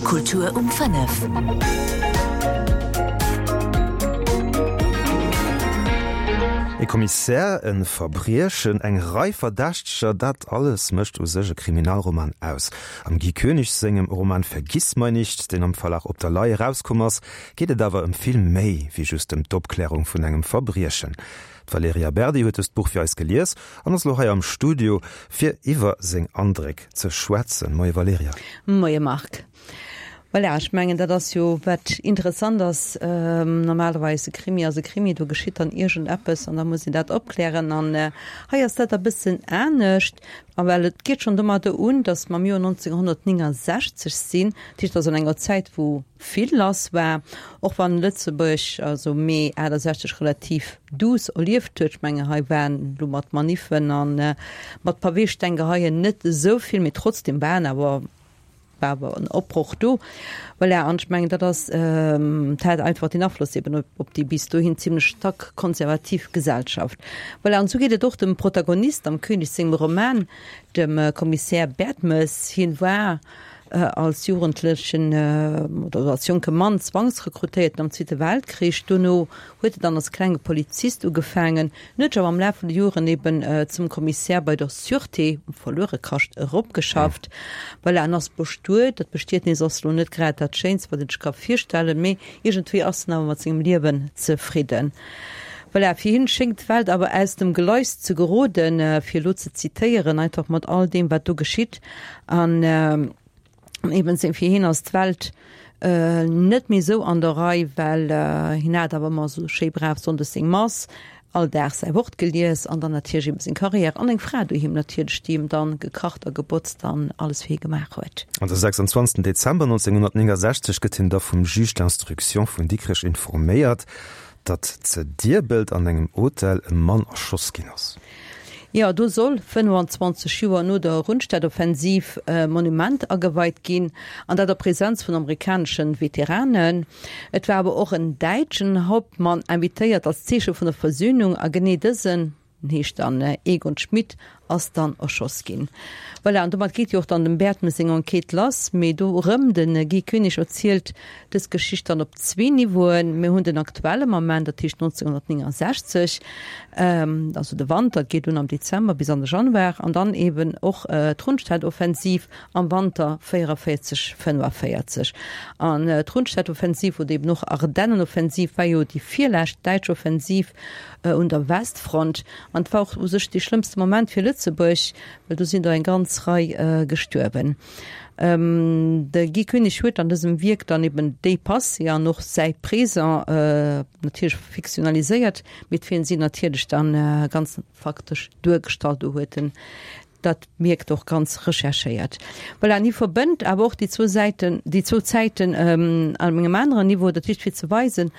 Kultur um 5. E Kommissär, e Verbriechen, eng Rei Verdächteger, dat alles mécht u sech e Kriminalroman aus. Am Guy Koenig sengem Roman Vergissmeinnicht, deen am Verlag Op der Lay erauskomm ass, geet et awer ëm vill méi wéi just ëm d'Opklärung vun engem Verbriechen. D'Valerija Berdi huet dëst Buch fir eis gelies an ass elo hei am Studio, fir iwwer seng Andréck ze schwätzen. Moie Valerija. Moie Marc. Voilà, ech mengen, dat ass jo wat interessant ass. Normalerweis e Krimi ass e Krimi, do geschitt dann iergendeppes an da muss een dat opklären. An hei ass dat e bëssen anescht, a well et geet schonn domadder un, datt mer am Joer 1969 sinn, dat heescht also an enger Zäit, wou vill lass war, och wann Lëtzebuerg, also Mee 68, relativ duuss erlieft huet. Ech mengen, hei waren elo mat Maniffen a mat Paweestenggeheien net esou vill, mee trotzdem waren awer war awer en Opbroch do. Voilà, an ech mengen, dat ass, dat hat einfach den Afloss eben op, op déi bis dohin zimlech stack konservativ Gesellschaft. Voilà, an esou geet et och dem Protagonist am Koenig sengem Roman, dem Kommissär Bertmes. Hien war als Jugendlechen oder als jonke Mann zwangsrekrutéiert am Zweete Weltkrich. Dono huet en dann als klenge Polizist ugefaangen, en huet sech awer am Laf vun de Joren eben zum Kommissär bei der Sûreté um Verluerekascht eropgeschafft. Voilà, en ass bestuet. Dat Bestietnis ass elo net grad dat Schéinst, wat een sech ka virstellen, mee iergendwéi ass en awer mat sengem Liewen zefridden. Voilà, fir hien schéngt d'Welt awer aus dem Gleis ze geroden, fir elo ze zitéieren, einfach mat all deem, wat do geschitt. An eben seng fir hien ass d'Welt net méi esou an der Rei, well hien hat awer ëmmer esou schéi brav sonndes seng Mass, all Dag säi Wort gelies an dann natierlech eben seng Carrière an eng Fra doheem natierlech, déi him dann gekacht a gebotzt an alles fir hie gemaach huet. An de 26 Dezember 1969 gëtt hien da vum Juge d'instruction vun Dikrech informéiert, datt ze Dierbelt an engem Hotel e Mann erschoss ginn ass. Jo, do soll 25 Joer no der Rundstedtoffensiv e Monument ageweit ginn, an dat a Präsenz vun amerikaneschen Veteranen. Et war awer och en däitschen Hauptmann invitéiert als Zeeche vun der Versöhnung, a genee dësen, den heescht dann Egon Schmidt, ass dann erschoss ginn. Voilà, an domat geet jo och dann dem Bertmes seng Enquête lass. Mee do erëm, de Guy Koenig erzielt dës Geschicht dann op zwee Niveauen. Mir hunn den aktuelle Moment, dat heescht 1969, also de Wanter, et geet un am Dezember bis an de Januar, an dann eeben och d'Rundstedtoffensiv am Wanter 44, 45. An d'Rundstedtoffensiv oder eeben och Ardennenoffensiv war jo déi virlescht däitsch Offensiv un der Westfront. An et war och u sech dee schlëmmste Moment fir Lëtzebuerg, well do sinn der eng ganz Rei gestuerwen. De Guy Koenig huet an dësem Wierk dann eben déi Passé an och säi Présent natierlech fiktionaliséiert, mee d'Film sinn natierlech dann ganz faktesch duergestallt. Do huet en dat mierkt och ganz recherchéiert. Voilà, an hie verbënnt awer och déi zwou Säiten, déi zwou Zäiten an engem aneren Niveau, dat heescht fir ze weisen,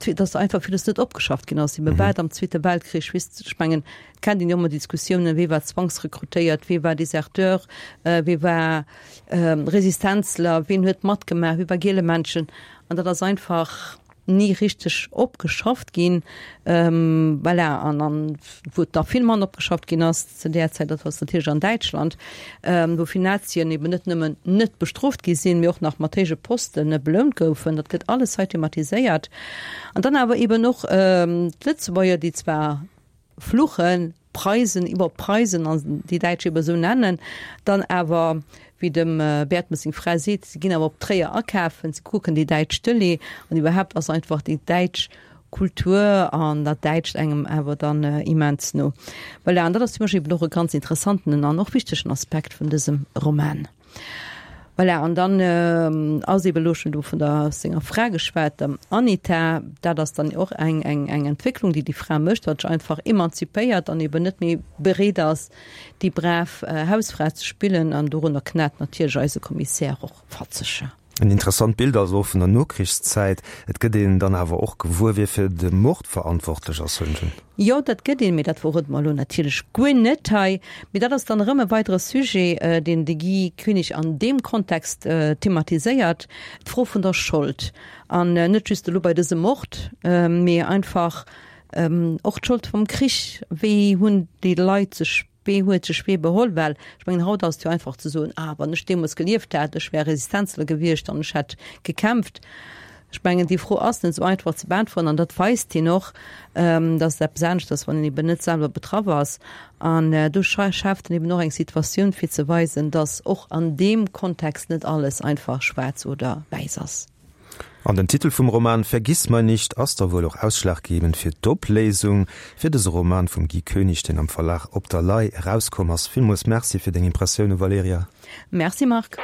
datt einfach villes net opgeschafft ginn ass, ebe wat am Zweete Weltkrich, wisst, ech mengen, et kennt een jo ëmmer déi Diskussiounen, wee war zwangsrekrutéiert, wee war Deserteur, wee war Resistenzler, ween huet matgemaach, wee war Gielemännchen, an dat ass einfach ni richteg opgeschafft ginn. Voilà, an an wou et nach vill manner opgeschafft ginn ass zu där Zäit, dat ass natierlech an Däitschland, wou vill Nazien eben net nëmmen net bestrooft gi sinn, mee och nach mat héije Poste belount goufen. Dat gëtt alles hei thematiséiert. An dann awer eben och d'Lëtzebuerger, déi zwar Fluchen, Preisen, iwwer Preisen an déi Däitsch eben esou nennen, dann awer, wéi dem Bertmes seng Fra seet, si ginn awer op Tréier akafen, si kucken déi däitsch Tëlee an iwwerhaapt ass einfach déi däitsch Kultur an dat Däitscht engem awer dann immens no. Voilà, an dat ass fir mech eben och e ganz interessanten an och wichtegen Aspekt vun dësem Roman. Voilà, an dann ass eebe elo schonn do vun der senger Fra geschwat, der Anita. Dat ass dann och eng, eng, eng Entwécklung, déi déi Fra mécht, datt sech einfach emanzipéiert an eeben net méi bereet ass, déi brav Hausfra ze spillen. An dorunner knat natierlech eise Kommissär och fatzeg. En interessant Bild also och vun der Nokrichszäit. Et gëtt een dann awer och gewuer, wie fir de Mord verantwortlech ass, hunn ech. Jo, dat gëtt een, mee dat verrode mer elo natierlech guer net hei. Mee dat ass dann erëm e weidere Sujet, deen de Guy Koenig an deem Kontext thematiséiert, d'Fro vun der Schold. An net just elo bei dësem Mord, mee einfach och d'Schold vum Krich. Wéi hunn déi Leit sech. Wee huet sech wéi beholl? Well ech mengen, haut ass et jo einfach ze soen, Ah, wann ech deemools gelieft hätt, ech wär Resistenzler gewiescht an ech hätt gekämpft. Ech mengen, déi Fro ass net esou einfach ze beäntweren an dat weist hien och, dass et eppes anescht ass, wann een eben net selwer betraff ass. An do schaaft en eben och eng Situatioun, fir ze weisen, dass och an deem Kontext net alles einfach schwaarz oder wäiss ass. An den Titel vum Roman Vergiss mein nicht ass da wuel och ausschlaggebend fir d'Opléisung fir dëse Roman vum Guy Koenig, deen am Verlag Op der Lay erauskomm ass. Villmools Merci fir deng Impressioune, Valerija. Merci, Marc.